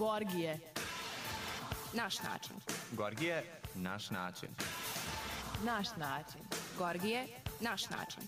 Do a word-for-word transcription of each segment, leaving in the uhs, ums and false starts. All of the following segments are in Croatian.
Gorgije. Naš način. Gorgije, naš način. Naš način. Gorgije, naš način.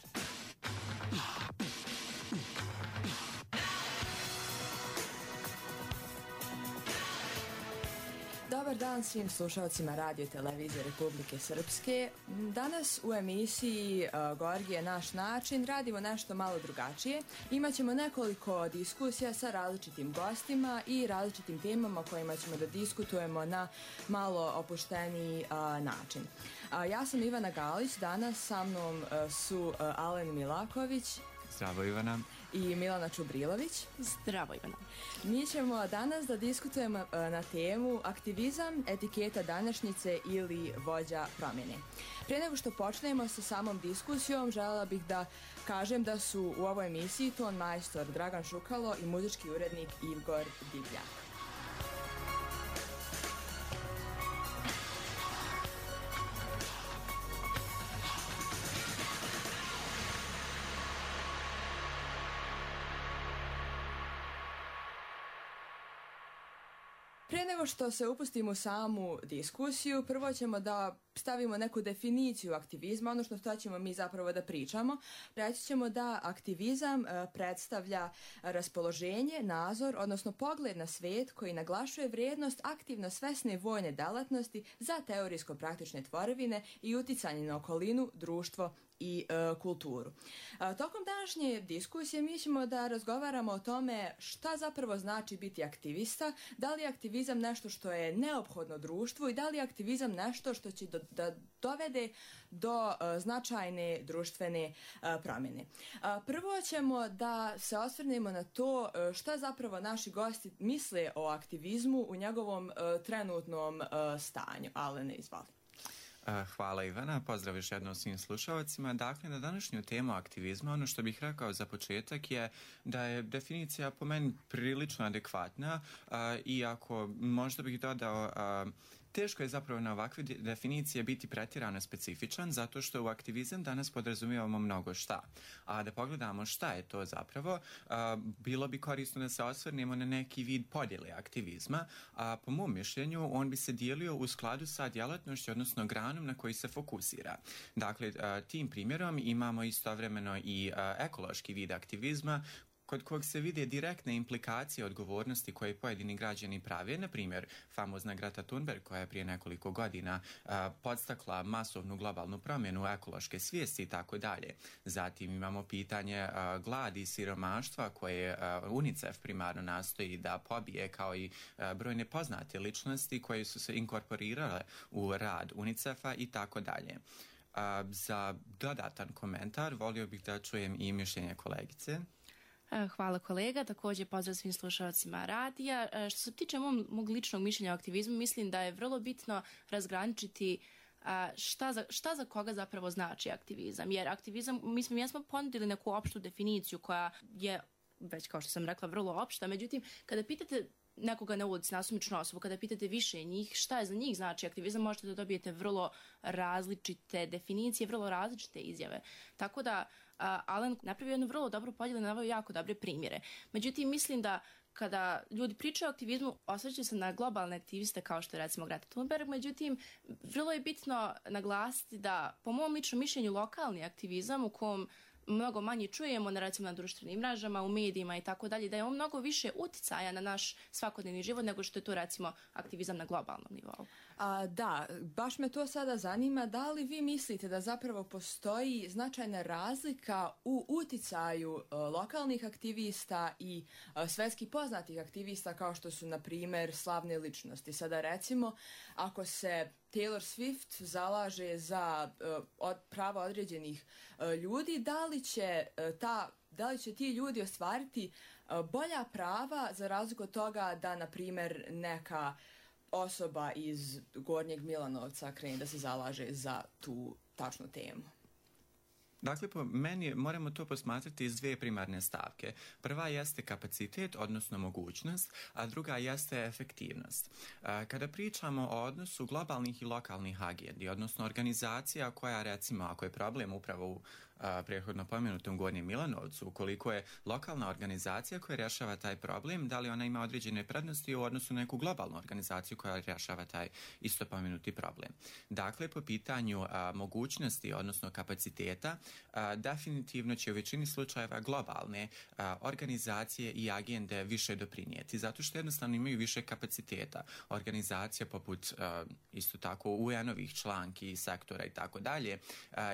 Dobar dan svim slušalcima Radio Televizije Republike Srpske. Danas u emisiji uh, Gorgije, naš način radimo nešto malo drugačije. Imaćemo nekoliko diskusija sa različitim gostima i različitim temama o kojima ćemo da diskutujemo na malo opušteniji uh, način. Uh, ja sam Ivana Galić, danas sa mnom uh, su uh, Alen Milaković. Zdravo Ivana. I Milana Čubrilović. Zdravo Ivana. Mi ćemo danas da diskutujemo na temu aktivizam, etiketa današnjice ili vođa promjene. Prije nego što počnemo sa samom diskusijom, željela bih da kažem da su u ovoj emisiji ton majstor Dragan Šukalo i muzički urednik Igor Divljak. Prije nego što se upustimo u samu diskusiju, prvo ćemo da stavimo neku definiciju aktivizma, ono što, što ćemo mi zapravo da pričamo. Reći ćemo da aktivizam e, predstavlja raspoloženje, nazor, odnosno pogled na svijet koji naglašuje vrijednost aktivno svesne vojne delatnosti za teorijsko-praktične tvorevine i uticanje na okolinu, društvo i e, kulturu. E, tokom današnje diskusije mi ćemo da razgovaramo o tome šta zapravo znači biti aktivista, da li je aktivizam nešto što je neophodno društvu i da li je aktivizam nešto što će do, da dovede do uh, značajne društvene uh, promjene. Uh, prvo ćemo da se osvrnemo na to uh, šta zapravo naši gosti misle o aktivizmu u njegovom uh, trenutnom uh, stanju. Alene, izvali. Hvala Ivana, pozdrav još jednom svim slušalcima. Dakle, na današnju temu aktivizma, ono što bih rekao za početak je da je definicija po meni prilično adekvatna, iako možda bih dodao teško je zapravo na ovakve definicije biti pretjerano specifičan, zato što u aktivizam danas podrazumijevamo mnogo šta. A da pogledamo šta je to zapravo, a, bilo bi korisno da se osvrnemo na neki vid podjele aktivizma, a po mom mišljenju on bi se dijelio u skladu sa djelatnošću, odnosno granom na koji se fokusira. Dakle, a, tim primjerom imamo istovremeno i a, ekološki vid aktivizma, kod kog se vide direktne implikacije odgovornosti koje pojedini građani prave, na primjer famozna Greta Thunberg koja je prije nekoliko godina a, podstakla masovnu globalnu promjenu ekološke svijesti i tako dalje. Zatim imamo pitanje a, gladi i siromaštva koje a, UNICEF primarno nastoji da pobije, kao i a, brojne poznate ličnosti koje su se inkorporirale u rad UNICEF-a i tako dalje. Za dodatan komentar volio bih da čujem i mišljenje kolegice. Hvala kolega, također pozdrav svim slušalcima radija. Što se tiče mog, mog ličnog mišljenja o aktivizmu, mislim da je vrlo bitno razgraničiti šta za, šta za koga zapravo znači aktivizam. Jer aktivizam, mi smo, mi smo ponudili neku opštu definiciju koja je, već kao što sam rekla, vrlo opšta. Međutim, kada pitate nekoga na ulici, nasumičnu osobu, kada pitate više njih šta je za njih znači aktivizam, možete da dobijete vrlo različite definicije, vrlo različite izjave. Tako da uh, Alen napravio jednu vrlo dobru podjelu, naveo jako dobre primjere. Međutim, mislim da kada ljudi pričaju o aktivizmu, osvrćaju se na globalne aktiviste kao što je recimo Greta Thunberg, međutim, vrlo je bitno naglasiti da, po mom ličnom mišljenju, lokalni aktivizam u kom mnogo manje čujemo na, recimo, na društvenim mrežama, u medijima i tako dalje, da je on mnogo više uticaja na naš svakodnevni život nego što je to, recimo, aktivizam na globalnom nivou. A, da, baš me to sada zanima, da li vi mislite da zapravo postoji značajna razlika u uticaju uh, lokalnih aktivista i uh, svetski poznatih aktivista kao što su, na primjer, slavne ličnosti? Sada, recimo, ako se Taylor Swift zalaže za uh, od, prava određenih uh, ljudi, da li će uh, ta da li će ti ljudi ostvariti uh, bolja prava za razliku od toga da, na primjer, neka osoba iz Gornjeg Milanovca krene da se zalaže za tu tačnu temu? Dakle, po meni moramo to posmatrati iz dvije primarne stavke. Prva jeste kapacitet, odnosno mogućnost, a druga jeste efektivnost. Kada pričamo o odnosu globalnih i lokalnih agendi, odnosno organizacija koja, recimo, ako je problem upravo u a, prethodno pomenutom Gornjem Milanovcu, ukoliko je lokalna organizacija koja rješava taj problem, da li ona ima određene prednosti u odnosu na neku globalnu organizaciju koja rješava taj isto pomenuti problem. Dakle, po pitanju a, mogućnosti, odnosno kapaciteta, a, definitivno će u većini slučajeva globalne a, organizacije i agende više doprinijeti, zato što jednostavno imaju više kapaciteta. Organizacija poput a, isto tako U N-ovih članki, sektora i tako dalje,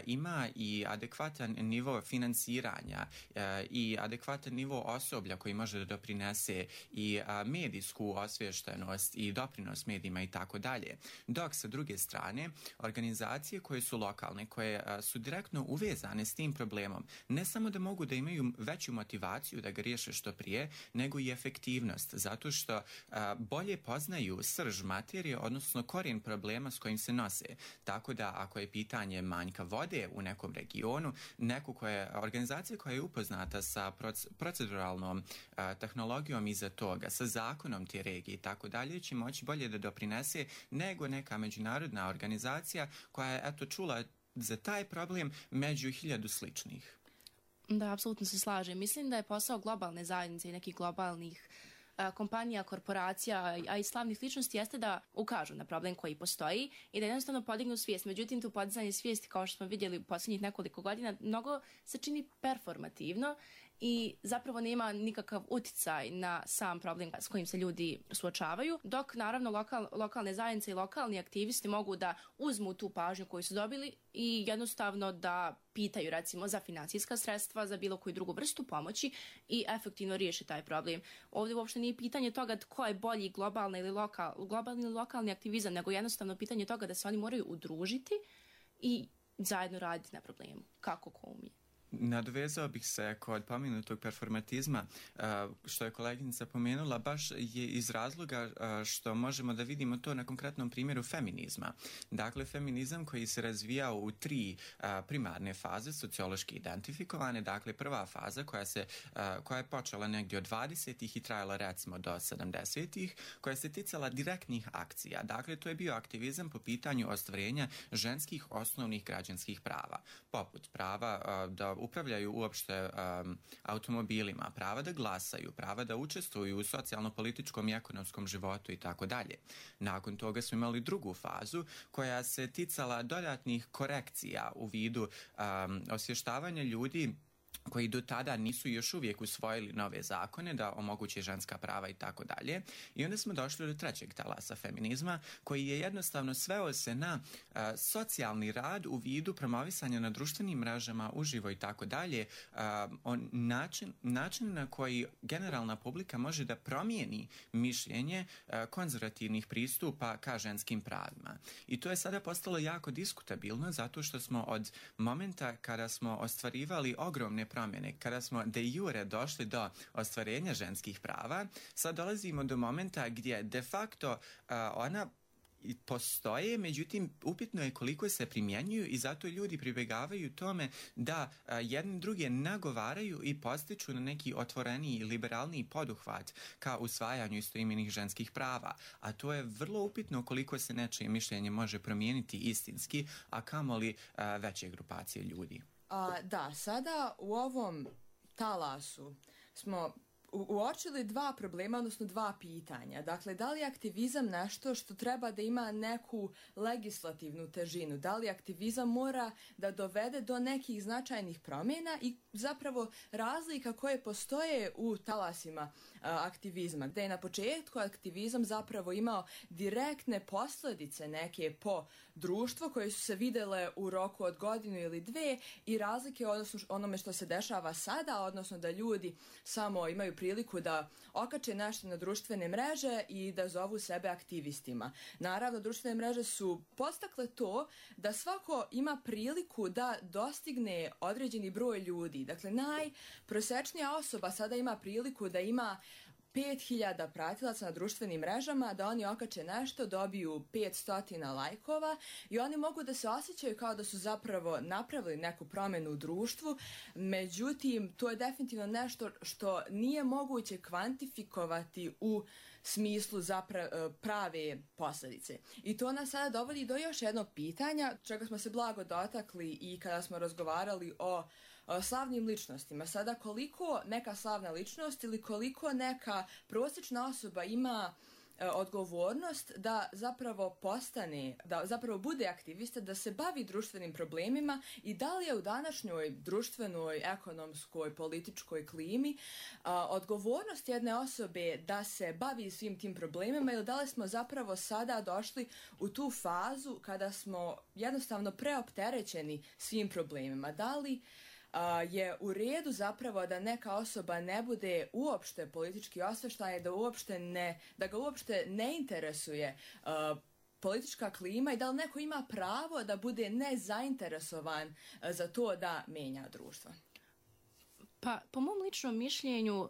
ima i adekvatan nivo finansiranja a, i adekvatan nivo osoblja koji može da doprinese i a, medijsku osviještenost i doprinos medijima i tako dalje. Dok sa druge strane, organizacije koje su lokalne, koje a, su direktno uvezane s tim problemom, ne samo da mogu da imaju veću motivaciju da ga riješe što prije, nego i efektivnost, zato što a, bolje poznaju srž materije, odnosno korijen problema s kojim se nose. Tako da ako je pitanje manjka vode u nekom regionu, neku koja, organizacija koja je upoznata sa proceduralnom a, tehnologijom iza toga, sa zakonom te regije i tako dalje, će moći bolje da doprinese nego neka međunarodna organizacija koja je eto čula za taj problem među hiljadu sličnih. Da, apsolutno se slažem. Mislim da je posao globalne zajednice i nekih globalnih a, kompanija, korporacija, a i slavnih ličnosti jeste da ukažu na problem koji postoji i da jednostavno podignu svijest. Međutim, tu podizanje svijesti, kao što smo vidjeli u posljednjih nekoliko godina, mnogo se čini performativno i zapravo nema nikakav uticaj na sam problem s kojim se ljudi suočavaju, dok naravno lokal, lokalne zajednice i lokalni aktivisti mogu da uzmu tu pažnju koju su dobili i jednostavno da pitaju recimo za financijska sredstva, za bilo koju drugu vrstu pomoći i efektivno riješi taj problem. Ovdje uopšte nije pitanje toga tko je bolji globalni ili, lokal, globalni ili lokalni aktivizam, nego jednostavno pitanje toga da se oni moraju udružiti i zajedno raditi na problemu, kako ko umije. Nadovezao bih se kod pomenutog performatizma, što je koleginica pomenula, baš je iz razloga što možemo da vidimo to na konkretnom primjeru feminizma. Dakle, feminizam koji se razvijao u tri primarne faze, sociološki identifikovane. Dakle, prva faza koja, se, koja je počela negdje od dvadesetih i trajala recimo do sedamdesetih, koja se ticala direktnih akcija. Dakle, to je bio aktivizam po pitanju ostvarenja ženskih osnovnih građanskih prava, poput prava da upravljaju uopšte um, automobilima, prava da glasaju, prava da učestvuju u socijalno-političkom i ekonomskom životu i tako dalje. Nakon toga smo imali drugu fazu koja se ticala dodatnih korekcija u vidu um, osvještavanja ljudi koji do tada nisu još uvijek usvojili nove zakone da omoguće ženska prava i tako dalje. I onda smo došli do trećeg talasa feminizma koji je jednostavno sveo se na uh, socijalni rad u vidu promovisanja na društvenim mrežama, uživo i tako dalje, on način, način na koji generalna publika može da promijeni mišljenje uh, konzervativnih pristupa ka ženskim pravima. I to je sada postalo jako diskutabilno zato što smo od momenta kada smo ostvarivali ogromne promjene, kada smo de jure došli do ostvarenja ženskih prava, sad dolazimo do momenta gdje de facto uh, ona postoje, međutim upitno je koliko se primjenjuju i zato ljudi pribjegavaju tome da a, jedni druge nagovaraju i postiču na neki otvoreniji, liberalniji poduhvat ka usvajanju istoimenih ženskih prava. A to je vrlo upitno koliko se nečije mišljenje može promijeniti istinski, a kamoli a, veće grupacije ljudi. A, da, sada u ovom talasu smo uočili dva problema, odnosno dva pitanja. Dakle, da li je aktivizam nešto što treba da ima neku legislativnu težinu? Da li aktivizam mora da dovede do nekih značajnih promjena i zapravo razlika koje postoje u talasima a, aktivizma, gdje je na početku aktivizam zapravo imao direktne posljedice neke po društvo koje su se videle u roku od godinu ili dve i razlike odnosno onome što se dešava sada, odnosno da ljudi samo imaju priliku da okače nešto na društvene mreže i da zovu sebe aktivistima. Naravno, društvene mreže su podstakle to da svako ima priliku da dostigne određeni broj ljudi. Dakle, najprosečnija osoba sada ima priliku da ima pet hiljada pratilaca na društvenim mrežama, da oni okače nešto, dobiju petsto lajkova i oni mogu da se osjećaju kao da su zapravo napravili neku promjenu u društvu, međutim to je definitivno nešto što nije moguće kvantifikovati u smislu zapra- prave posljedice. I to nas sada dovodi do još jednog pitanja, čega smo se blago dotakli i kada smo razgovarali o slavnim ličnostima. Sada koliko neka slavna ličnost ili koliko neka prosječna osoba ima e, odgovornost da zapravo postane, da zapravo bude aktivista, da se bavi društvenim problemima i da li je u današnjoj društvenoj, ekonomskoj, političkoj klimi a, odgovornost jedne osobe da se bavi svim tim problemima ili da li smo zapravo sada došli u tu fazu kada smo jednostavno preopterećeni svim problemima. Da li Uh, je u redu zapravo da neka osoba ne bude uopšte politički osveštajna, da uopšte ne, da ga uopšte ne interesuje uh, politička klima i da li neko ima pravo da bude nezainteresovan uh, za to da menja društvo? Pa, po mom ličnom mišljenju, uh,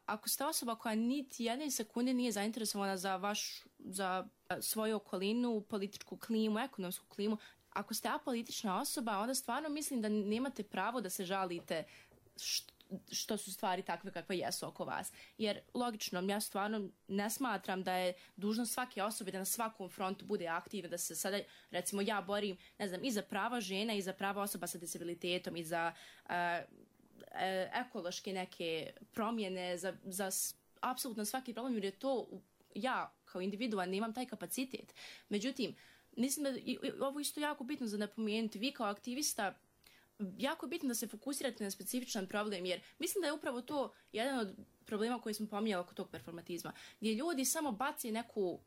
ako ste osoba koja niti jedne sekunde nije zainteresovana za vaš, za uh, svoju okolinu, političku klimu, ekonomsku klimu, ako ste apolitična osoba, onda stvarno mislim da nemate pravo da se žalite što, što su stvari takve kakve jesu oko vas. Jer logično, ja stvarno ne smatram da je dužnost svake osobe da na svakom frontu bude aktivna, da se sada, recimo, ja borim, ne znam, i za prava žena i za prava osoba sa disabilitetom i za uh, ekološke neke promjene, za, za apsolutno svaki problem, jer je to ja kao individualno nemam taj kapacitet. Međutim, mislim da je ovo isto jako bitno za napomenuti. Vi kao aktivista, jako je bitno da se fokusirate na specifičan problem, jer mislim da je upravo to jedan od problema koji smo pominjali oko tog performatizma, gdje ljudi samo baci neku uh,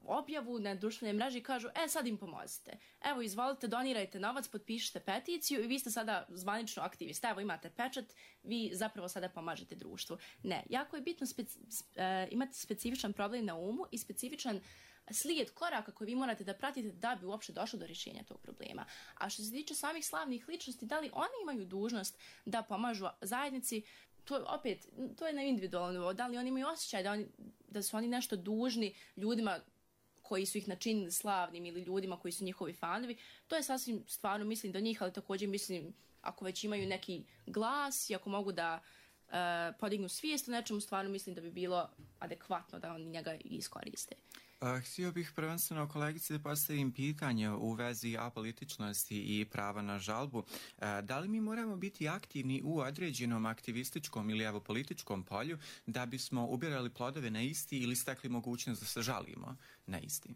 objavu na društvenoj mreži i kažu, e, sad im pomozite. Evo, izvolite, donirajte novac, potpišite peticiju i vi ste sada zvanično aktivista. Evo, imate pečat, vi zapravo sada pomažete društvu. Ne, jako je bitno speci- uh, imati specifičan problem na umu i specifičan slijed koraka koji vi morate da pratite da bi uopšte došlo do rješenja tog problema. A što se tiče samih slavnih ličnosti, da li oni imaju dužnost da pomažu zajednici, to opet, to je na individualnom nivou. Da li oni imaju osjećaj da, oni, da su oni nešto dužni ljudima koji su ih načinili slavnim ili ljudima koji su njihovi fanovi, to je sasvim stvarno mislim do njih, ali također mislim ako već imaju neki glas i ako mogu da uh, podignu svijest o nečemu, stvarno mislim da bi bilo adekvatno da oni njega iskoriste. Uh, htio bih prvenstveno kolegici da postavim pitanje u vezi apolitičnosti i prava na žalbu. Uh, da li mi moramo biti aktivni u određenom aktivističkom ili evo političkom polju da bismo ubirali plodove na isti ili stekli mogućnost da se žalimo na isti?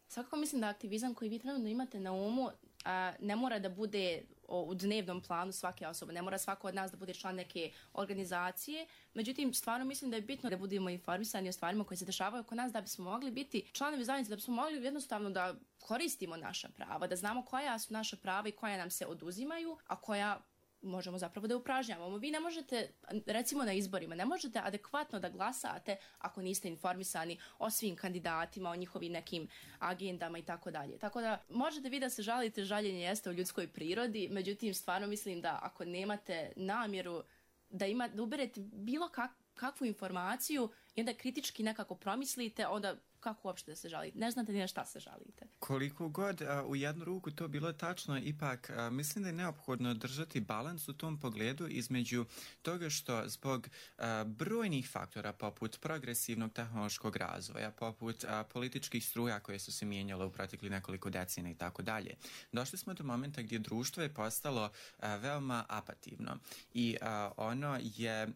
Svakako mislim da aktivizam koji vi trenutno imate na umu a, ne mora da bude o, u dnevnom planu svake osobe, ne mora svako od nas da bude član neke organizacije, međutim stvarno mislim da je bitno da budemo informisani o stvarima koje se dešavaju oko nas da bismo mogli biti članovi zajednice, da bismo mogli jednostavno da koristimo naša prava, da znamo koja su naša prava i koja nam se oduzimaju, a koja možemo zapravo da upražnjavamo. Vi ne možete, recimo na izborima, ne možete adekvatno da glasate ako niste informisani o svim kandidatima, o njihovim nekim agendama i tako dalje. Tako da možete vi da se žalite, žaljenje jeste u ljudskoj prirodi, međutim stvarno mislim da ako nemate namjeru da, ima, da uberete bilo kak, kakvu informaciju i onda kritički nekako promislite, onda kako uopšte da se žalite? Ne znate ni na šta se žalite. Koliko god a, u jednu ruku to bilo tačno, ipak a, mislim da je neophodno držati balans u tom pogledu između toga što zbog a, brojnih faktora poput progresivnog tehnološkog razvoja, poput a, političkih struja koje su se mijenjale u protekli nekoliko decenija i tako dalje, došli smo do momenta gdje društvo je postalo a, veoma apativno i a, ono je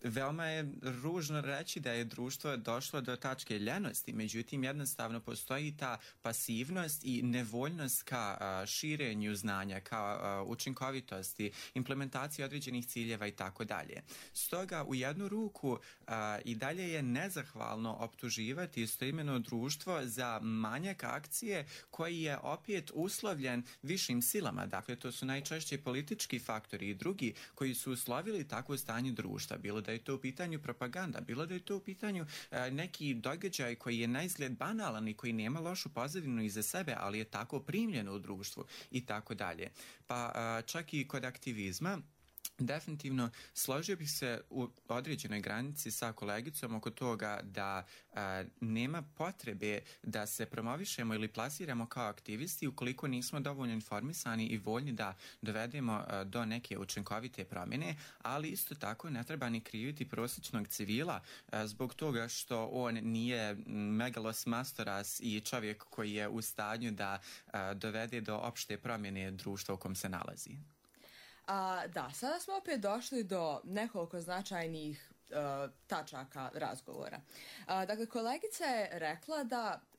veoma je ružno reći da je društvo došlo do tačke ljenosti, međutim jednostavno postoji ta pasivnost i nevoljnost ka a, širenju znanja, ka a, učinkovitosti, implementaciji određenih ciljeva i tako dalje. Stoga u jednu ruku a, i dalje je nezahvalno optuživati istoimeno društvo za manjak akcije koji je opet uslovljen višim silama. Dakle, to su najčešće politički faktori i drugi koji su uslovili takvo stanje društva, bilo da da je to u pitanju propaganda, bilo da je to u pitanju e, neki događaj koji je na izgled banalan i koji nema lošu pozadinu iza sebe, ali je tako primljen u društvu i tako dalje. Pa e, čak i kod aktivizma Definitivno složio bih se u određenoj granici sa kolegicom oko toga da a, nema potrebe da se promovišemo ili plasiramo kao aktivisti ukoliko nismo dovoljno informisani i voljni da dovedemo a, do neke učinkovite promjene, ali isto tako ne treba ni kriviti prosječnog civila a, zbog toga što on nije megalos mastoras i čovjek koji je u stanju da a, dovede do opšte promjene društva u kom se nalazi. A, da, sada smo opet došli do nekoliko značajnih uh, tačaka razgovora. A, dakle, kolegica je rekla da uh,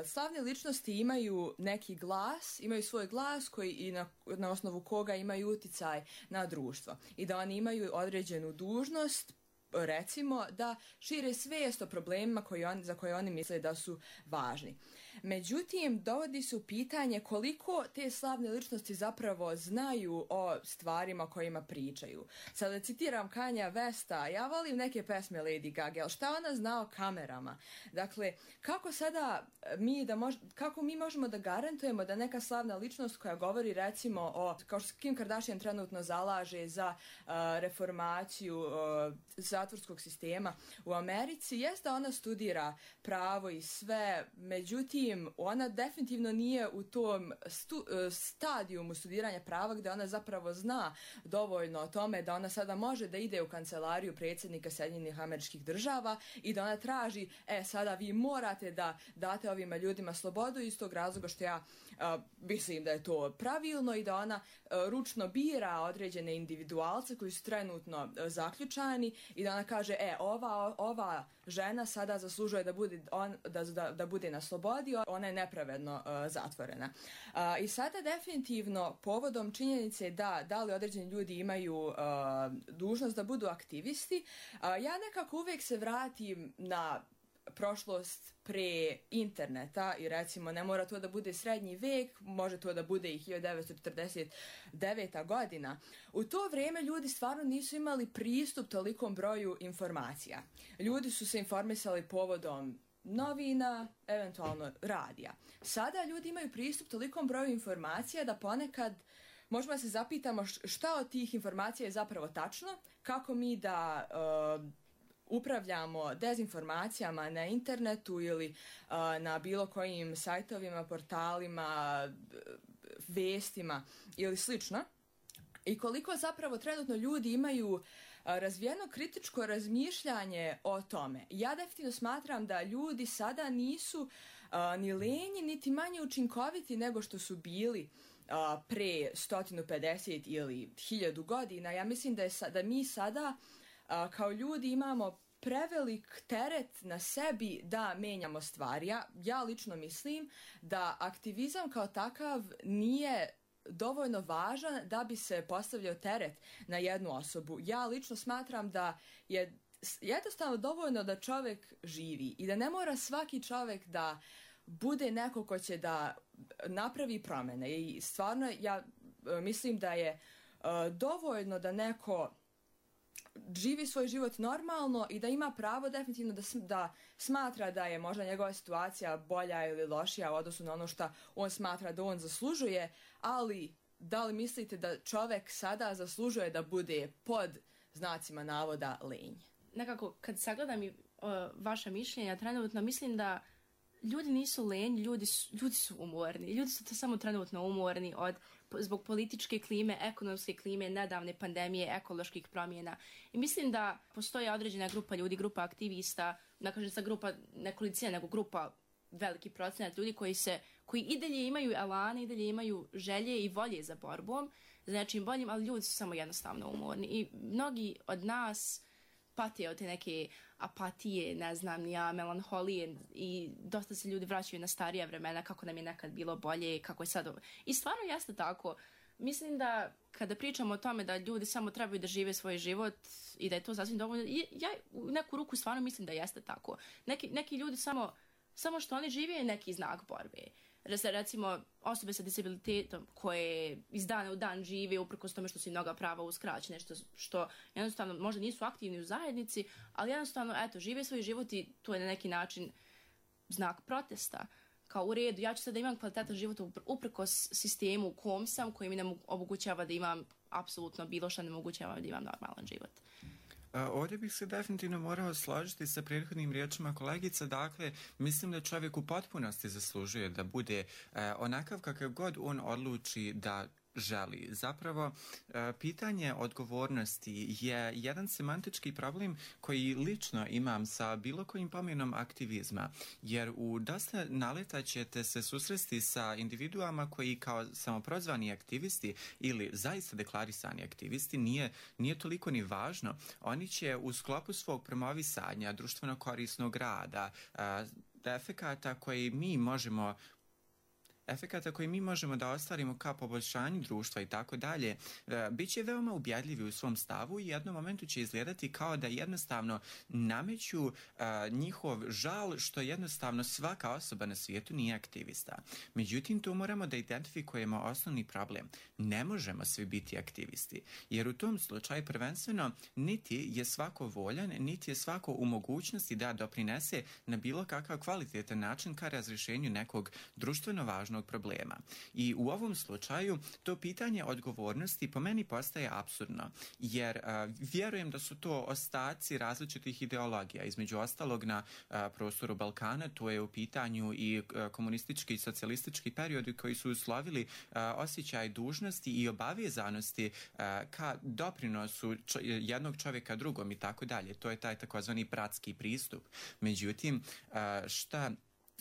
slavne ličnosti imaju neki glas, imaju svoj glas koji i na, na osnovu koga imaju uticaj na društvo i da oni imaju određenu dužnost, recimo, da šire svijest o problemima koji on, za koje oni misle da su važni. Međutim, dovodi se u pitanje koliko te slavne ličnosti zapravo znaju o stvarima o kojima pričaju. Sada citiram Kanja Westa, ja volim neke pesme Lady Gaga, ali šta ona zna o kamerama? Dakle, kako sada mi, da mož, kako mi možemo da garantujemo da neka slavna ličnost koja govori recimo o, kao što Kim Kardashian trenutno zalaže za uh, reformaciju uh, zatvorskog sistema u Americi, jest da ona studira pravo i sve, međutim, ona definitivno nije u tom stu, stadijumu studiranja prava gdje ona zapravo zna dovoljno o tome da ona sada može da ide u kancelariju predsjednika Sjedinjenih Američkih Država i da ona traži, e, sada vi morate da date ovima ljudima slobodu iz tog razloga što ja a, mislim da je to pravilno i da ona a, ručno bira određene individualce koji su trenutno a, zaključani i da ona kaže, e, ova, ova žena sada zaslužuje da bude, on, da, da, da bude na slobodi, ona je nepravedno uh, zatvorena. Uh, I sada definitivno povodom činjenice da da li određeni ljudi imaju uh, dužnost da budu aktivisti, uh, ja nekako uvijek se vratim na prošlost pre interneta i recimo ne mora to da bude srednji vek, može to da bude i hiljadu devetsto četrdeset deveta godina. U to vrijeme ljudi stvarno nisu imali pristup tolikom broju informacija. Ljudi su se informisali povodom novina, eventualno radija. Sada ljudi imaju pristup tolikom broju informacija da ponekad možemo se zapitamo šta od tih informacija je zapravo tačno, kako mi da uh, upravljamo dezinformacijama na internetu ili uh, na bilo kojim sajtovima, portalima, vestima ili slično. I koliko zapravo trenutno ljudi imaju razvijeno kritičko razmišljanje o tome. Ja definitivno smatram da ljudi sada nisu uh, ni lenji, niti manje učinkoviti nego što su bili uh, pre sto pedeset ili hiljadu godina. Ja mislim da, je, da mi sada uh, kao ljudi imamo prevelik teret na sebi da menjamo stvari. Ja, ja lično mislim da aktivizam kao takav nije dovoljno važan da bi se postavljao teret na jednu osobu. Ja lično smatram da je jednostavno dovoljno da čovjek živi i da ne mora svaki čovjek da bude neko ko će da napravi promjene. I stvarno ja mislim da je uh, dovoljno da neko živi svoj život normalno i da ima pravo definitivno da, da smatra da je možda njegova situacija bolja ili lošija u odnosu na ono što on smatra da on zaslužuje, ali da li mislite da čovjek sada zaslužuje da bude pod znacima navoda lenj? Nekako, kad sagledam i uh, vaša mišljenja trenutno, mislim da ljudi nisu lenji, ljudi su, ljudi su umorni. Ljudi su to samo trenutno umorni od, zbog političke klime, ekonomske klime, nedavne pandemije, ekoloških promjena. I mislim da postoji određena grupa ljudi, grupa aktivista, ne kažem sa grupa nekolicina, nego grupa veliki procenat ljudi koji se, koji i dalje imaju elane, i dalje imaju želje i volje za borbom, za nečim boljim, ali ljudi su samo jednostavno umorni. I mnogi od nas pate od te neke apatije, ne znam, ja, melanholije i dosta se ljudi vraćaju na starija vremena, kako nam je nekad bilo bolje, kako je sad. I stvarno jeste tako. Mislim da kada pričamo o tome da ljudi samo trebaju da žive svoj život i da je to sasvim dovoljno, ja u neku ruku stvarno mislim da jeste tako. Neki, neki ljudi samo, samo što oni žive je neki znak borbe. Recimo, osobe sa disabilitetom koje iz dana u dan žive uprkos tome što su im mnoga prava uskraćene, što, što jednostavno možda nisu aktivni u zajednici, ali jednostavno, eto, žive svoj život i to je na neki način znak protesta. Kao u redu, ja ću sad da imam kvalitetan život uprkos sistemu u kom sam, koji mi ne omogućava da imam apsolutno bilo što ne mogućava da imam normalan život. Ovdje bih se definitivno morao složiti sa prethodnim riječima kolegica. Dakle, mislim da čovjek u potpunosti zaslužuje da bude onakav kakav god on odluči da želi. Zapravo, pitanje odgovornosti je jedan semantički problem koji lično imam sa bilo kojim pomjenom aktivizma, jer u dosta naleta ćete se susresti sa individuama koji kao samoprozvani aktivisti ili zaista deklarisani aktivisti, nije, nije toliko ni važno. Oni će u sklopu svog promovisanja društveno korisnog rada, efekata koji mi možemo efekata koji mi možemo da ostvarimo ka poboljšanju društva i tako dalje, bit će veoma ubjedljivi u svom stavu i u jednom momentu će izgledati kao da jednostavno nameću uh, njihov žal što jednostavno svaka osoba na svijetu nije aktivista. Međutim, tu moramo da identifikujemo osnovni problem. Ne možemo svi biti aktivisti, jer u tom slučaju prvenstveno niti je svako voljan, niti je svako u mogućnosti da doprinese na bilo kakav kvalitetan način ka razrješenju nekog društveno važnog problema. I u ovom slučaju to pitanje odgovornosti po meni postaje apsurdno, jer a, vjerujem da su to ostaci različitih ideologija. Između ostalog na a, prostoru Balkana to je u pitanju i a, komunistički i socijalistički periodi koji su uslovili a, osjećaj dužnosti i obavezanosti a, ka doprinosu čo, jednog čovjeka drugom i tako dalje. To je taj takozvani bratski pristup. Međutim, a, šta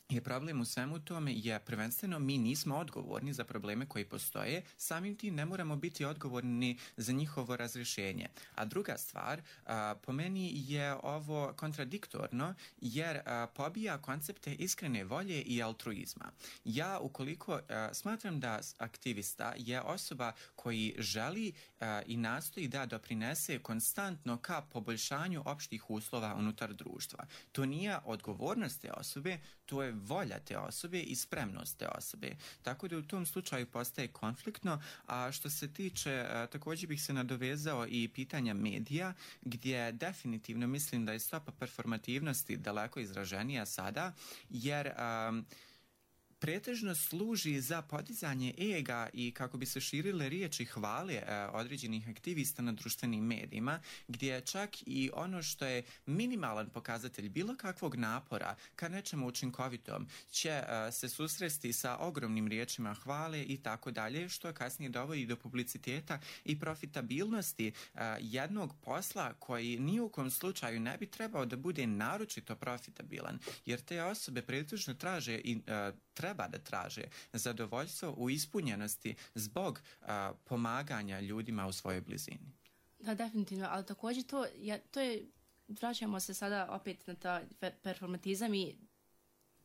je problem u svemu tome je prvenstveno mi nismo odgovorni za probleme koji postoje, samim tim ne moramo biti odgovorni za njihovo razrješenje. A druga stvar, a, po meni je ovo kontradiktorno jer a, pobija koncepte iskrene volje i altruizma. Ja ukoliko a, smatram da aktivista je osoba koji želi a, i nastoji da doprinese konstantno ka poboljšanju opštih uslova unutar društva. To nije odgovornost te osobe, to je volja te osobe i spremnost te osobe. Tako da u tom slučaju postaje konfliktno, a što se tiče, a, također bih se nadovezao i pitanja medija, gdje definitivno mislim da je stopa performativnosti daleko izraženija sada, jer a, pretežno služi za podizanje ega i kako bi se širile riječi hvale e, određenih aktivista na društvenim medijima, gdje čak i ono što je minimalan pokazatelj bilo kakvog napora ka nečemu učinkovitom će e, se susresti sa ogromnim riječima hvale i tako dalje, što kasnije dovodi do publiciteta i profitabilnosti e, jednog posla koji ni u kom slučaju ne bi trebao da bude naročito profitabilan, jer te osobe pretežno traže i e, treba da traže zadovoljstvo u ispunjenosti zbog a, pomaganja ljudima u svojoj blizini. Da, definitivno, ali također to, ja, to je, vraćamo se sada opet na ta performatizam i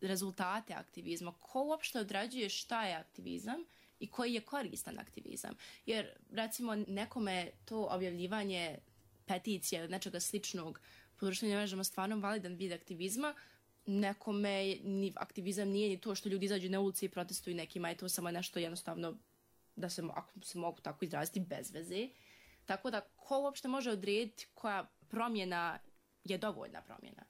rezultate aktivizma. Ko uopšte određuje šta je aktivizam i koji je koristan aktivizam? Jer, recimo, nekome to objavljivanje peticije ili nečega sličnog po društvenim mrežama stvarno validan vid aktivizma, nekome ni aktivizam nije ni to što ljudi izađu na ulici i protestuju, nekima je to samo nešto jednostavno da se, ako se mogu tako izraziti, bez veze. Tako da ko uopšte može odrediti koja promjena je dovoljna promjena?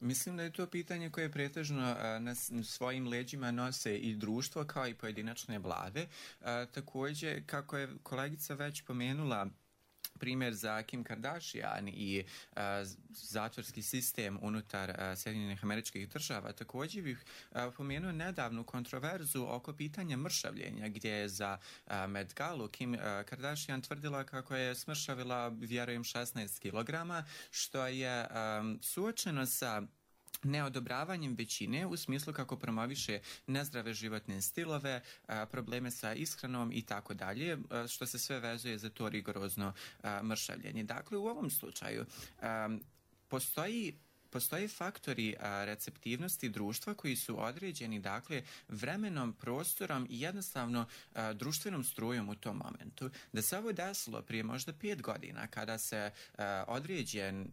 Mislim da je to pitanje koje pretežno na svojim leđima nose i društvo kao i pojedinačne vlade. Također, kako je kolegica već pomenula, primjer za Kim Kardashian i uh, zatvorski sistem unutar uh, Sjedinjenih Američkih Država. Također bih uh, pomenuo nedavnu kontroverzu oko pitanja mršavljenja, gdje je za uh, Met Galu Kim uh, Kardashian tvrdila kako je smršavila, vjerujem, šesnaest kilograma, što je um, suočeno sa neodobravanjem većine u smislu kako promoviše nezdrave životne stilove, probleme sa ishranom i tako dalje, što se sve vezuje za to rigorozno mršavljenje. Dakle, u ovom slučaju postoji Postoje faktori a, receptivnosti društva koji su određeni, dakle, vremenom, prostorom i jednostavno a, društvenom strujom u tom momentu. Da se ovo desilo prije možda pet godina, kada se a, određen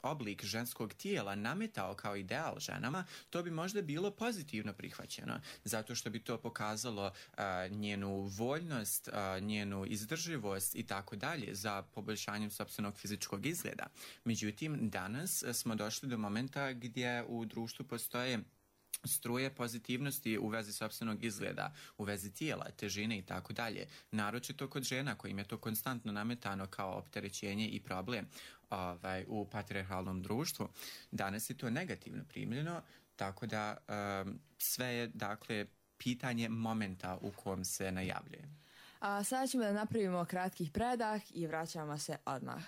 oblik ženskog tijela nametao kao ideal ženama, to bi možda bilo pozitivno prihvaćeno, zato što bi to pokazalo a, njenu voljnost, a, njenu izdrživost i tako dalje za poboljšanjem sopstvenog fizičkog izgleda. Međutim, danas smo došli do momenta gdje u društvu postoje struje pozitivnosti u vezi sopstvenog izgleda, u vezi tijela, težine i tako dalje. Naročito kod žena kojim je to konstantno nametano kao opterećenje i problem ovaj, u patrijarhalnom društvu. Danas je to negativno primljeno, tako da um, sve je, dakle, pitanje momenta u kom se najavljuje. A sada ćemo da napravimo kratkih predah i vraćamo se odmah.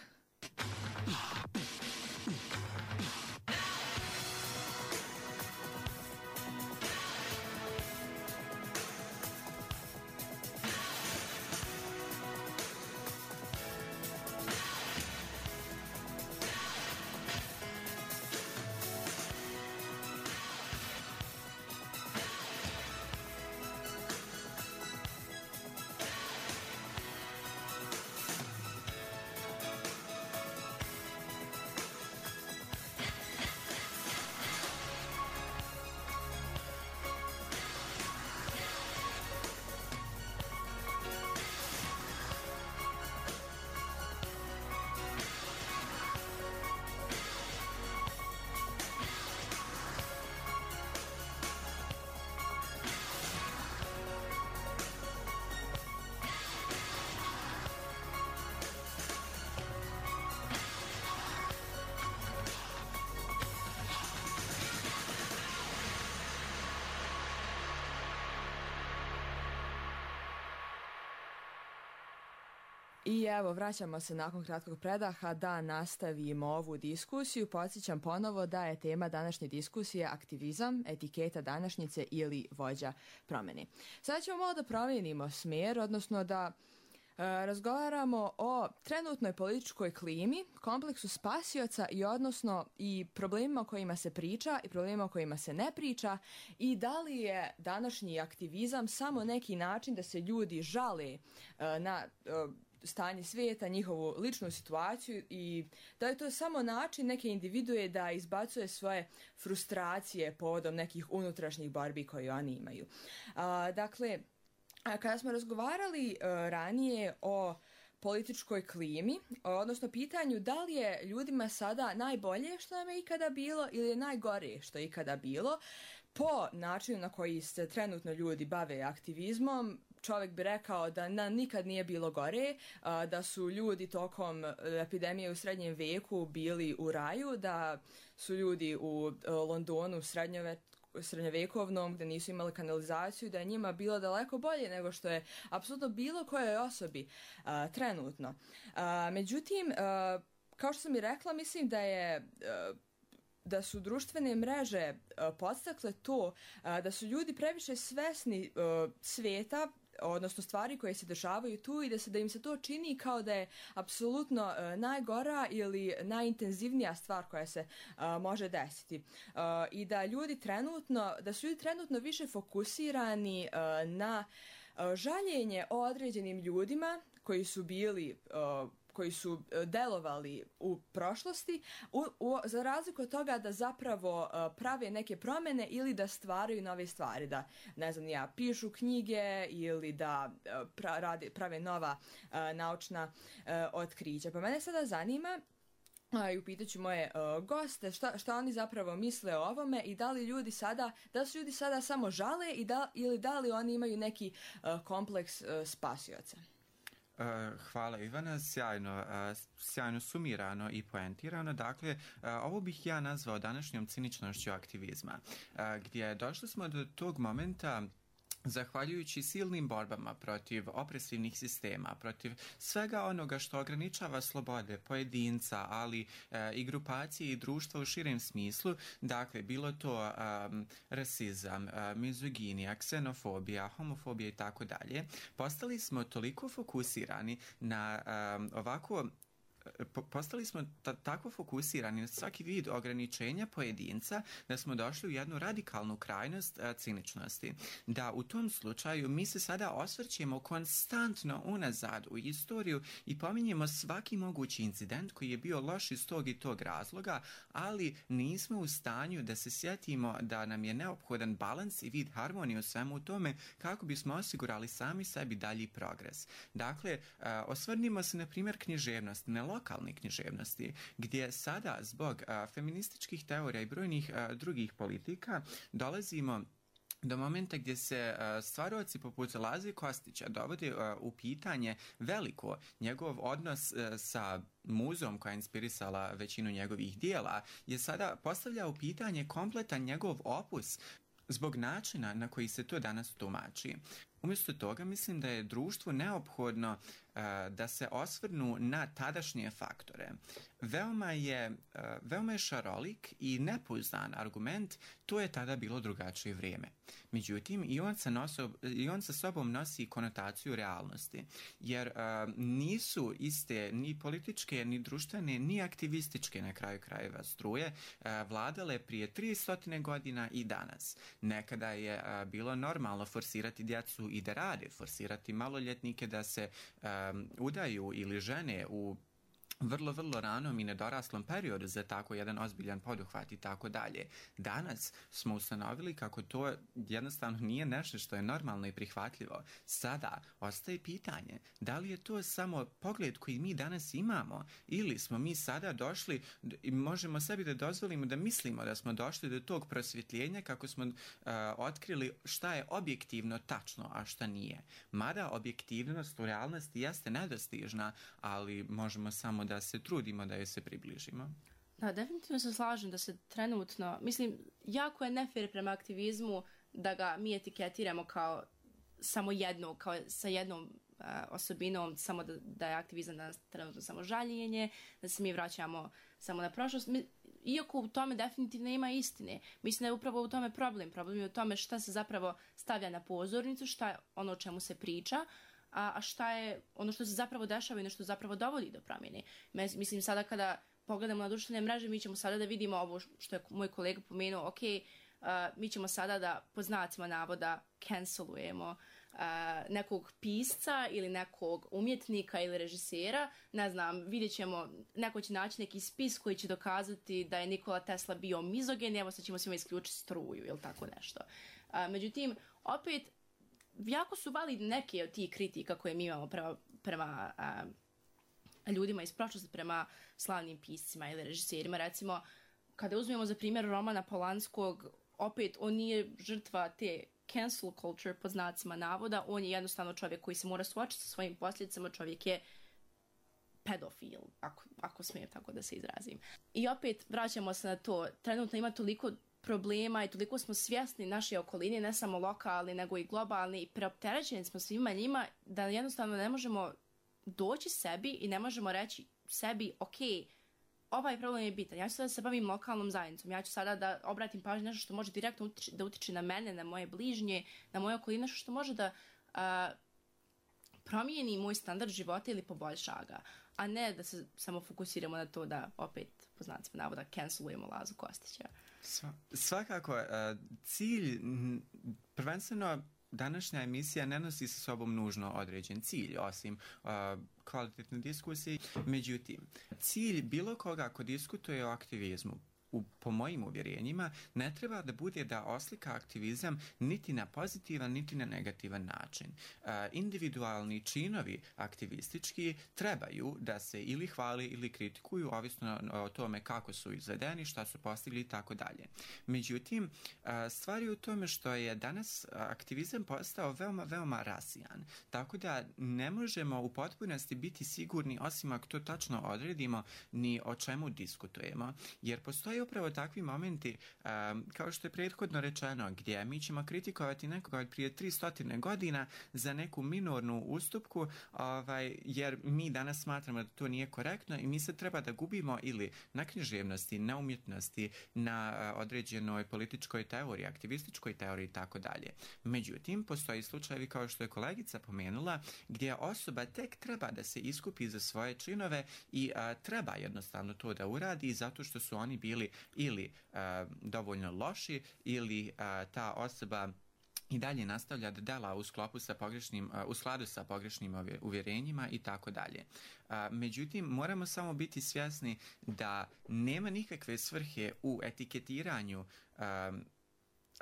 I evo, vraćamo se nakon kratkog predaha da nastavimo ovu diskusiju. Podsjećam ponovo da je tema današnje diskusije aktivizam, etiketa današnjice ili vođa promjene. Sada ćemo malo da promijenimo smjer, odnosno da e, razgovaramo o trenutnoj političkoj klimi, kompleksu spasioca i odnosno i problemima o kojima se priča i problemima o kojima se ne priča i da li je današnji aktivizam samo neki način da se ljudi žale e, na e, stanje svijeta, njihovu ličnu situaciju i da je to samo način neke individue da izbacuje svoje frustracije povodom nekih unutrašnjih borbi koje oni imaju. A, dakle, a kada smo razgovarali a, ranije o političkoj klimi, odnosno pitanju da li je ljudima sada najbolje što nam je ikada bilo ili je najgore što je ikada bilo, po načinu na koji se trenutno ljudi bave aktivizmom, čovjek bi rekao da na, nikad nije bilo gore, a, da su ljudi tokom epidemije u srednjem veku bili u raju, da su ljudi u a, Londonu srednjove, srednjovekovnom gdje nisu imali kanalizaciju, da je njima bilo daleko bolje nego što je apsolutno bilo kojoj osobi a, trenutno. A, međutim, a, kao što sam i rekla, mislim da je a, da su društvene mreže a, podstakle to a, da su ljudi previše svesni a, svijeta, odnosno stvari koje se dešavaju tu i da se da im se to čini kao da je apsolutno uh, najgora ili najintenzivnija stvar koja se uh, može desiti. Uh, I da ljudi trenutno, da su ljudi trenutno više fokusirani uh, na uh, žaljenje o određenim ljudima koji su bili uh, koji su delovali u prošlosti, u, u, za razliku od toga da zapravo uh, prave neke promjene ili da stvaraju nove stvari, da, ne znam, ja, pišu knjige ili da uh, pra, radi, prave nova uh, naučna uh, otkrića. Pa mene sada zanima, a, i upitat ću moje uh, goste šta, šta oni zapravo misle o ovome i da li ljudi sada, da su ljudi sada samo žale i da, ili da li oni imaju neki uh, kompleks uh, spasioca. Uh, hvala Ivana, sjajno, uh, sjajno sumirano i poentirano. Dakle, uh, ovo bih ja nazvao današnjom ciničnošću aktivizma, uh, gdje došli smo do tog momenta zahvaljujući silnim borbama protiv opresivnih sistema, protiv svega onoga što ograničava slobode pojedinca, ali e, i grupacije i društva u širem smislu, dakle, bilo to um, rasizam, uh, mizoginija, ksenofobija, homofobija i tako dalje, postali smo toliko fokusirani na um, ovako postali smo ta, tako fokusirani na svaki vid ograničenja pojedinca da smo došli u jednu radikalnu krajnost a, ciničnosti. Da u tom slučaju mi se sada osvrćemo konstantno unazad u istoriju i pominjemo svaki mogući incident koji je bio loš iz tog i tog razloga, ali nismo u stanju da se sjetimo da nam je neophodan balans i vid harmonije u svemu tome kako bismo osigurali sami sebi dalji progres. Dakle, a, osvrnimo se na primjer književnost. Ne lokalne književnosti, gdje sada zbog a, feminističkih teorija i brojnih a, drugih politika dolazimo do momenta gdje se uh, stvarovaci poput Laze Kostića dovode uh, u pitanje veliko njegov odnos uh, sa muzom koja je inspirisala većinu njegovih dijela, je sada postavlja u pitanje kompletan njegov opus zbog načina na koji se to danas tumači. Umjesto toga mislim da je društvu neophodno uh, da se osvrnu na tadašnje faktore. Veoma je, uh, veoma je šarolik i nepouzdan argument, to je tada bilo drugačije vrijeme. Međutim, i on sa, noso, i on sa sobom nosi konotaciju realnosti, jer uh, nisu iste ni političke, ni društvene, ni aktivističke na kraju krajeva struje uh, vladale prije tristo godina i danas. Nekada je uh, bilo normalno forsirati djecu i da rade, forsirati maloljetnike da se um, udaju ili žene u vrlo, vrlo ranom i nedoraslom periodu za tako jedan ozbiljan poduhvat i tako dalje. Danas smo ustanovili kako to jednostavno nije nešto što je normalno i prihvatljivo. Sada ostaje pitanje da li je to samo pogled koji mi danas imamo ili smo mi sada došli i možemo sebi da dozvolimo da mislimo da smo došli do tog prosvjetljenja kako smo uh, otkrili šta je objektivno tačno, a šta nije. Mada objektivnost u realnosti jeste nedostižna, ali možemo samo da da se trudimo da je se približimo. Da, definitivno se slažem da se trenutno, mislim, jako je nefer prema aktivizmu da ga mi etiketiramo kao samo jedno, kao sa jednom uh, osobinom, samo da, da je aktivizam danas trenutno samo žaljenje, da se mi vraćamo samo na prošlost. Mi, iako u tome definitivno ima istine. Mislim da je upravo u tome problem. Problem je u tome šta se zapravo stavlja na pozornicu, šta je ono o čemu se priča, a šta je ono što se zapravo dešava i ono što zapravo dovodi do promjene. Mislim, sada kada pogledamo na društvene mreže, mi ćemo sada da vidimo ovo što je moj kolega pomenuo, ok, uh, mi ćemo sada da po znacima navoda cancelujemo uh, nekog pisca ili nekog umjetnika ili režisera, ne znam, vidjet ćemo, neko će naći neki spis koji će dokazati da je Nikola Tesla bio mizogen, evo sad ćemo svima isključiti struju ili tako nešto. Uh, međutim, opet, jako su validne neke od tih kritika koje mi imamo prema, prema a, ljudima iz prošlosti, prema slavnim piscima ili režiserima. Recimo, kada uzmemo za primjer Romana Polanskog, opet on nije žrtva te cancel culture pod znacima navoda, on je jednostavno čovjek koji se mora suočiti sa svojim posljedicama, čovjek je pedofil, ako, ako smijem tako da se izrazim. I opet vraćamo se na to, trenutno ima toliko problema i toliko smo svjesni naše okoline, ne samo lokalni, nego i globalni, i preopterećeni smo svima njima da jednostavno ne možemo doći sebi i ne možemo reći sebi, ok, ovaj problem je bitan, ja ću sada da se bavim lokalnom zajednicom, ja ću sada da obratim pažnju nešto što može direktno utiči, da utiče na mene, na moje bližnje, na moje okoline, nešto što može da a, promijeni moj standard života ili poboljša ga, a ne da se samo fokusiramo na to da opet, po znacima navoda, cancelujemo Lazu Kostića. Sva, svakako, uh, cilj, prvenstveno današnja emisija ne nosi sa sobom nužno određen cilj, osim uh, kvalitetne diskusije. Međutim, cilj bilo koga ko diskutuje o aktivizmu, u, po mojim uvjerenjima, ne treba da bude da oslika aktivizam niti na pozitivan, niti na negativan način. Uh, individualni činovi aktivistički trebaju da se ili hvali ili kritikuju, ovisno o tome kako su izvedeni, šta su postigli i tako dalje. Međutim, uh, stvar je u tome što je danas aktivizam postao veoma, veoma rasijan. Tako da ne možemo u potpunosti biti sigurni, osim ako to tačno odredimo, ni o čemu diskutujemo. Jer postoji upravo takvi momenti, um, kao što je prethodno rečeno, gdje mi ćemo kritikovati nekoga od prije tristo godina za neku minornu ustupku, ovaj, jer mi danas smatramo da to nije korektno i mi se treba da gubimo ili na književnosti, na umjetnosti, na uh, određenoj političkoj teoriji, aktivističkoj teoriji i tako dalje. Međutim, postoji slučajevi kao što je kolegica pomenula, gdje osoba tek treba da se iskupi za svoje činove i uh, treba jednostavno to da uradi zato što su oni bili ili uh, dovoljno loši ili uh, ta osoba i dalje nastavlja da dela u sklopu sa pogrešnim, uh, u skladu sa pogrešnim uvjerenjima i tako dalje. Uh, međutim, moramo samo biti svjesni da nema nikakve svrhe u etiketiranju um,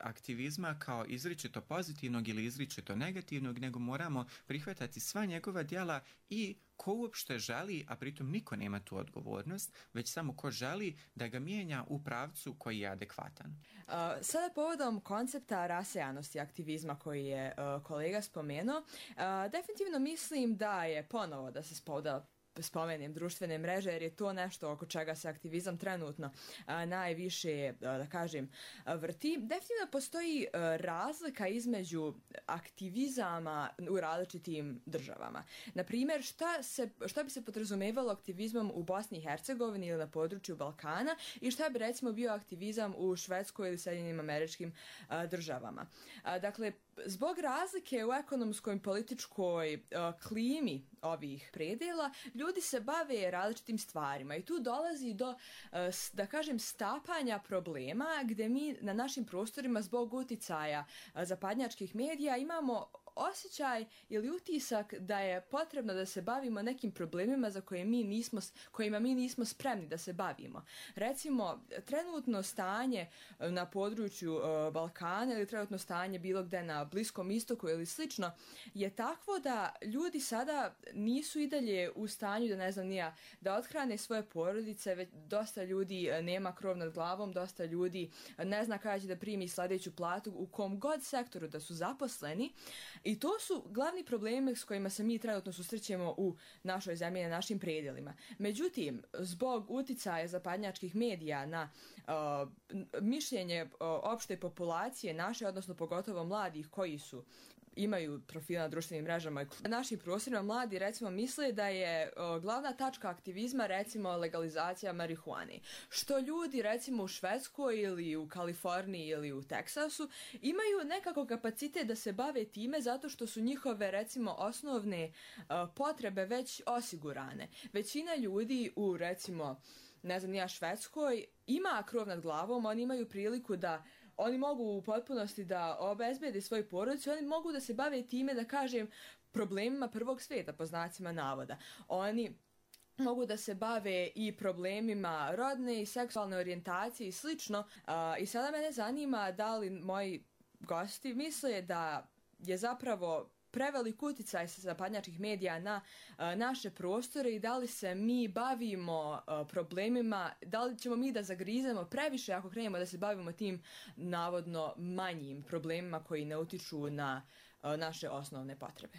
aktivizma kao izričito pozitivnog ili izričito negativnog, nego moramo prihvatati sva njegova djela i ko uopšte želi, a pritom niko nema tu odgovornost, već samo ko želi da ga mijenja u pravcu koji je adekvatan. Uh, sada povodom koncepta rasejanosti aktivizma koji je uh, kolega spomenuo, uh, definitivno mislim da je ponovo da se spoda spomenem društvene mreže, jer je to nešto oko čega se aktivizam trenutno a, najviše, a, da kažem, a, vrti. Definitivno postoji a, razlika između aktivizama u različitim državama. Naprimjer, šta, se, šta bi se podrazumevalo aktivizmom u Bosni i Hercegovini ili na području Balkana i šta bi recimo bio aktivizam u Švedskoj ili Sjedinjenim Američkim a, državama. A, dakle, zbog razlike u ekonomskoj i političkoj uh, klimi ovih predela, ljudi se bave različitim stvarima i tu dolazi do, uh, da kažem, stapanja problema gdje mi na našim prostorima zbog uticaja uh, zapadnjačkih medija imamo osjećaj ili utisak da je potrebno da se bavimo nekim problemima za koje mi nismo, kojima mi nismo spremni da se bavimo. Recimo, trenutno stanje na području uh, Balkana ili trenutno stanje bilo gde na Bliskom istoku ili slično je takvo da ljudi sada nisu i dalje u stanju da ne znam nija, da othrane svoje porodice, već dosta ljudi nema krov nad glavom, dosta ljudi ne zna kada će da primi sljedeću platu u kom god sektoru da su zaposleni. I to su glavni problemi s kojima se mi trenutno susrećemo u našoj zemlji, na našim predjelima. Međutim, zbog uticaja zapadnjačkih medija na uh, mišljenje uh, opšte populacije naše, odnosno pogotovo mladih koji su imaju profila na društvenim mrežama. Na našim prostorima mladi recimo misle da je o, glavna tačka aktivizma recimo legalizacija marihuane. Što ljudi recimo u Švedskoj ili u Kaliforniji ili u Teksasu imaju nekako kapacitet da se bave time zato što su njihove recimo osnovne o, potrebe već osigurane. Većina ljudi u recimo ne znam ja Švedskoj ima krov nad glavom, oni imaju priliku da oni mogu u potpunosti da obezbede svoju porodicu, oni mogu da se bave time, da kažem, problemima prvog svijeta, po znacima navoda. Oni mogu da se bave i problemima rodne i seksualne orijentacije i slično. I sada mene zanima da li moji gosti misle da je zapravo prevelik uticaj sa zapadnjačkih medija na a, naše prostore i da li se mi bavimo a, problemima, da li ćemo mi da zagrizemo previše ako krenemo da se bavimo tim navodno manjim problemima koji ne utiču na a, naše osnovne potrebe.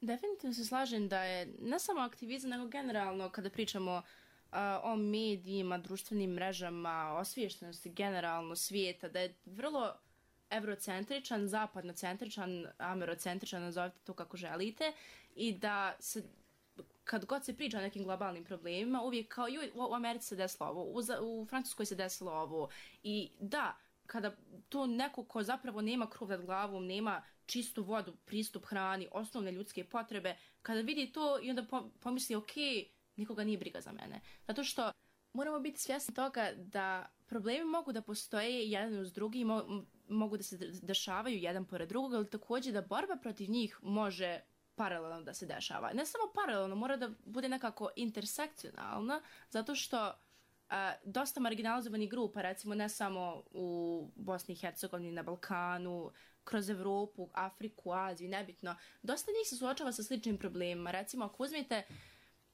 Definitivno se slažem da je ne samo aktivizam, nego generalno kada pričamo uh, o medijima, društvenim mrežama, osviještenosti generalno svijeta, da je vrlo evrocentričan, zapadnocentričan, amerocentričan, nazovite to kako želite, i da se, kad god se priča o nekim globalnim problemima, uvijek kao i u Americi se desilo ovo, u, u Francuskoj se desilo ovo, i da, kada to neko ko zapravo nema krov nad glavom, nema čistu vodu, pristup hrani, osnovne ljudske potrebe, kada vidi to i onda pomisli, ok, nikoga nije briga za mene. Zato što moramo biti svjesni toga da problemi mogu da postoje jedan uz drugi, mo- mogu da se dešavaju jedan pored drugog, ali također da borba protiv njih može paralelno da se dešava. Ne samo paralelno, mora da bude nekako intersekcionalna, zato što a, dosta marginalizovanih grupa, recimo ne samo u Bosni i Hercegovini, na Balkanu, kroz Evropu, Afriku, Aziju, nebitno, dosta njih se suočava sa sličnim problemima. Recimo, ako uzmete,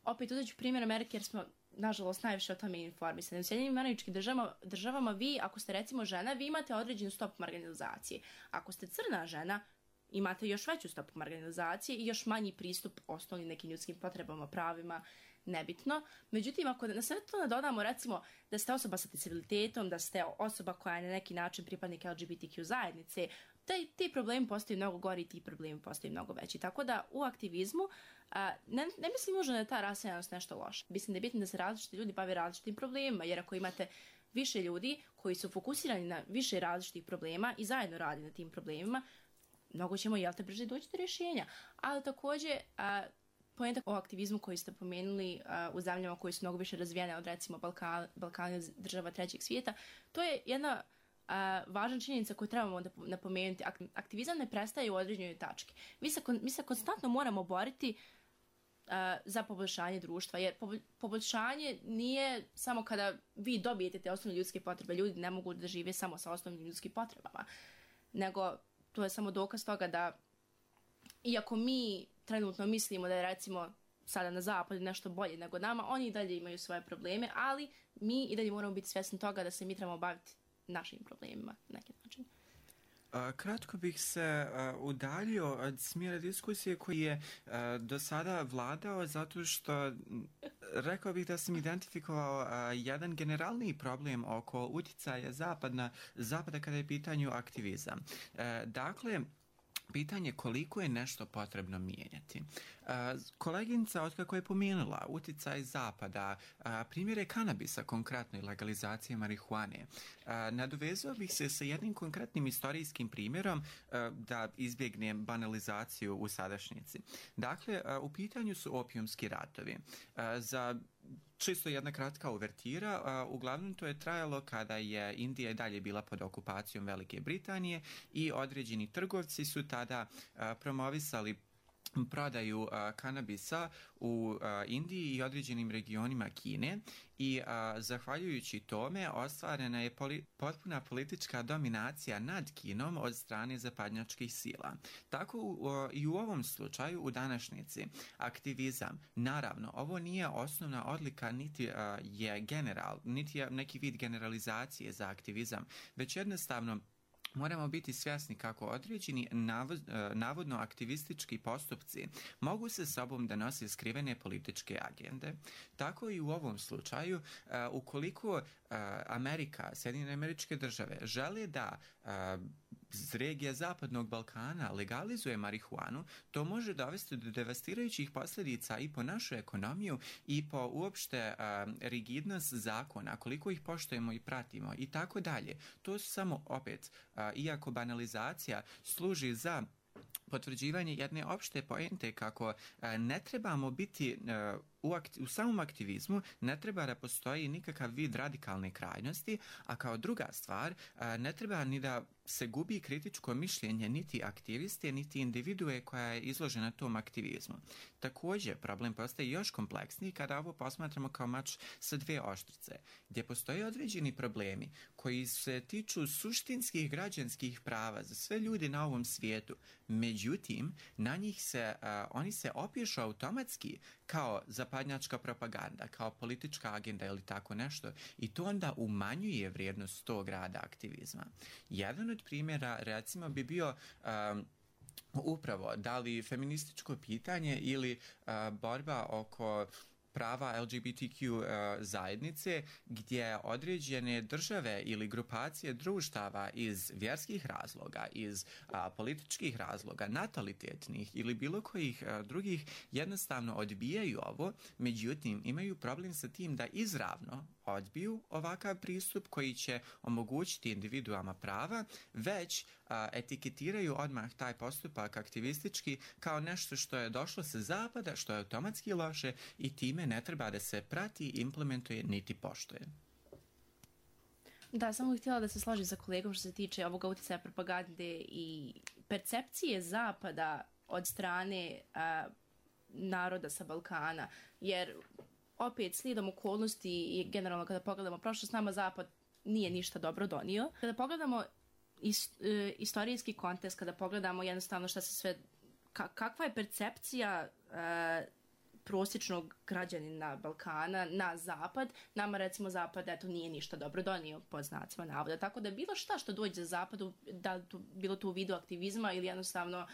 opet uzet ću primjer Amerike, jer smo nažalost najviše o tome informisani. U Sjedinjenim Američkim državama, državama vi, ako ste recimo žena, vi imate određenu stopu marginalizacije. Ako ste crna žena, imate još veću stopu marginalizacije i još manji pristup osnovnim nekim ljudskim potrebama, pravima, nebitno. Međutim, ako na sve to nadodamo recimo da ste osoba sa disabilitetom, da ste osoba koja je na neki način pripadnik L G B T Q zajednice, taj, ti problemi postaju mnogo gori i ti problemi postaju mnogo veći. Tako da u aktivizmu a, ne, ne mislim možda da je ta rasejanost nešto loše. Mislim da je bitno da se različiti ljudi bave različitim problemima, jer ako imate više ljudi koji su fokusirani na više različitih problema i zajedno radi na tim problemima, mnogo ćemo, jel te, brže doći do rješenja. Ali također, a, poenta o aktivizmu koji ste pomenuli a, u zemljama koji su mnogo više razvijene od recimo Balkan, Balkana, država trećeg svijeta, to je jedna a, važna činjenica koju trebamo da napomenuti. Aktivizam ne prestaje u određenoj tački. Mi se, mi se konstantno moramo boriti a, za poboljšanje društva, jer poboljšanje nije samo kada vi dobijete te osnovne ljudske potrebe. Ljudi ne mogu da žive samo sa osnovnim ljudskim potrebama. nego to je samo dokaz toga da iako mi trenutno mislimo da je recimo sada na zapadu nešto bolje nego nama, oni i dalje imaju svoje probleme, ali mi i dalje moramo biti svjesni toga da se mi trebamo baviti našim problemima na neki način. Uh, kratko bih se uh, udaljio od smjera diskusije koji je uh, do sada vladao zato što rekao bih da sam identifikovao uh, jedan generalni problem oko utjecaja zapadna, zapada kada je pitanju aktivizam. Uh, dakle, pitanje koliko je nešto potrebno mijenjati. Uh, koleginica otkako je pomenula utjecaj zapada, uh, primjere kanabisa, konkretno i legalizacije marihuane, uh, nadovezao bih se sa jednim konkretnim istorijskim primjerom uh, da izbjegnem banalizaciju u sadašnjici. Dakle, uh, u pitanju su opijumski ratovi. Uh, za Čisto jedna kratka uvertira, uh, uglavnom to je trajalo kada je Indija i dalje bila pod okupacijom Velike Britanije i određeni trgovci su tada uh, promovisali prodaju uh, kanabisa u uh, Indiji i određenim regionima Kine i uh, zahvaljujući tome ostvarena je poli- potpuna politička dominacija nad Kinom od strane zapadnjačkih sila. Tako uh, i u ovom slučaju u današnjici aktivizam, naravno, ovo nije osnovna odlika niti uh, je general, niti je neki vid generalizacije za aktivizam, već jednostavno moramo biti svjesni kako određeni navodno aktivistički postupci mogu se sobom da nose skrivene političke agende. Tako i u ovom slučaju, ukoliko Amerika, Sjedinjene Američke Države žele da regija Zapadnog Balkana legalizuje marihuanu, to može dovesti do devastirajućih posljedica i po našu ekonomiju i po uopšte uh, rigidnost zakona, koliko ih poštujemo i pratimo i tako dalje. To su samo opet, uh, iako banalizacija služi za potvrđivanje jedne opšte poente kako uh, ne trebamo biti uh, U, akti- u samom aktivizmu ne treba da postoji nikakav vid radikalne krajnosti, a kao druga stvar ne treba ni da se gubi kritičko mišljenje niti aktiviste, niti individue koja je izložena tom aktivizmu. Također, problem postaje još kompleksniji kada ovo posmatramo kao mač sa dve oštrice, gdje postoje određeni problemi koji se tiču suštinskih građanskih prava za sve ljudi na ovom svijetu. Međutim, na njih se, uh, oni se opišu automatski kao zapadnjačka propaganda, kao politička agenda ili tako nešto i to onda umanjuje vrijednost tog rada aktivizma. Jedan od primjera recimo bi bio um, upravo da li feminističko pitanje ili uh, borba oko prava L G B T Q uh, zajednice gdje određene države ili grupacije društava iz vjerskih razloga, iz uh, političkih razloga, natalitetnih ili bilo kojih uh, drugih jednostavno odbijaju ovo, međutim imaju problem sa tim da izravno odbiju ovakav pristup koji će omogućiti individuama prava, već a, etiketiraju odmah taj postupak aktivistički kao nešto što je došlo sa zapada, što je automatski loše i time ne treba da se prati, implementuje niti poštuje. Da, samo bih htjela da se složim sa kolegom što se tiče ovoga utjecaja propagande i percepcije zapada od strane a, naroda sa Balkana, jer opet slijedom okolnosti i generalno kada pogledamo prošlost, nama zapad nije ništa dobro donio. Kada pogledamo is, e, istorijski kontekst, kada pogledamo jednostavno šta se sve, ka, kakva je percepcija e, prosječnog građanina Balkana na zapad, nama recimo zapad eto nije ništa dobro donio pod znacima navoda. Tako da bilo šta što dođe za zapadu, da to, bilo to u vidu aktivizma ili jednostavno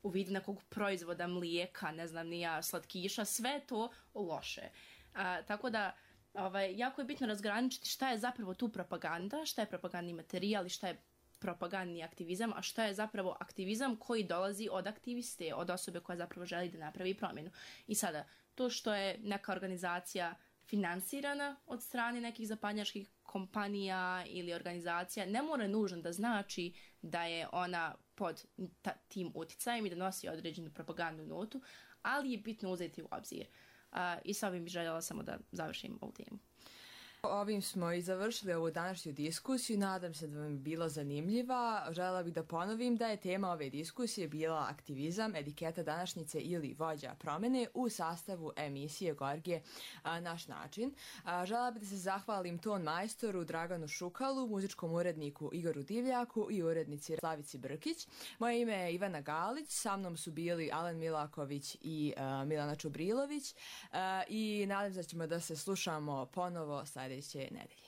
u vidu nekog proizvoda, mlijeka, ne znam ni ja, slatkiša, sve to loše. A, tako da ovaj, jako je bitno razgraničiti šta je zapravo tu propaganda, šta je propagandni materijal i šta je propagandni aktivizam, a šta je zapravo aktivizam koji dolazi od aktiviste, od osobe koja zapravo želi da napravi promjenu. I sada, to što je neka organizacija finansirana od strane nekih zapadnjačkih kompanija ili organizacija, ne mora nužno da znači da je ona pod ta, tim utjecajem i da nosi određenu propagandnu notu, ali je bitno uzeti u obzir. Uh, I sa ovim bih željela samo da završim ovu temu. Ovim smo i završili ovu današnju diskusiju. Nadam se da vam je bila zanimljiva. Želela bih da ponovim da je tema ove diskusije bila aktivizam, etiketa današnjice ili vođa promene u sastavu emisije Gorgije a, Naš način. A, želela bih da se zahvalim ton majstoru Draganu Šukalu, muzičkom uredniku Igoru Divljaku i urednici Slavici Brkić. Moje ime je Ivana Galić, sa mnom su bili Alen Milaković i a, Milana Čubrilović a, i nadam se da ćemo da se slušamo ponovo sljedeće nedelje.